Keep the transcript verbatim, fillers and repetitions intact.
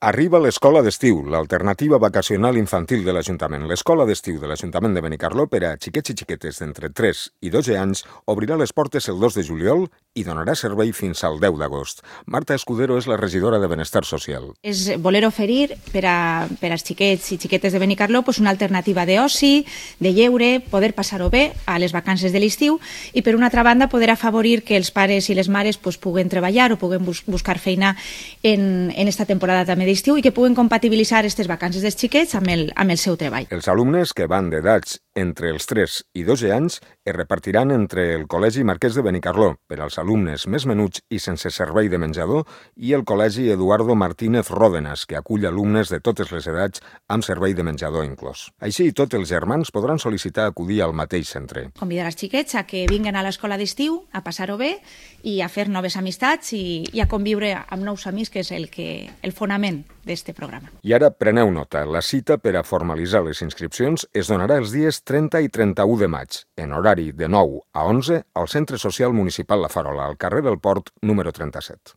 Arriba l'escola d'estiu, l'alternativa vacacional infantil de l'Ajuntament. L'escola d'estiu de l'Ajuntament de Benicarló per a xiquets i xiquetes d'entre tres i dotze anys obrirà les portes el dos de juliol i donarà servei fins al deu d'agost. Marta Escudero és la regidora de Benestar Social. És voler oferir per, a, per als xiquets i xiquetes de Benicarló pues, una alternativa d'oci, de lleure, poder passar-ho bé a les vacances de l'estiu i per una altra banda poder afavorir que els pares i les mares pues, puguen treballar o puguen bus buscar feina en, en esta temporada també d'estiu i que puguen compatibilitzar aquestes vacances dels xiquets amb el, amb el seu treball. Els alumnes que van d'edats entre els tres i dotze anys es repartiran entre el Col·legi Marquès de Benicarló per als alumnes més menuts i sense servei de menjador i el Col·legi Eduardo Martínez Ródenas, que acull alumnes de totes les edats amb servei de menjador inclòs. Així, tots els germans podran sol·licitar acudir al mateix centre. Convidar els xiquets a que vinguen a l'escola d'estiu, a passar-ho bé i a fer noves amistats i, i a conviure amb nous amics, que és el, que, el fonament d'aquest programa. I ara preneu nota, la cita per a formalitzar les inscripcions es donarà els dies trenta i trenta-u de maig, en horari de nou a onze, al Centre Social Municipal La Farola, al carrer del Port, número trenta-set.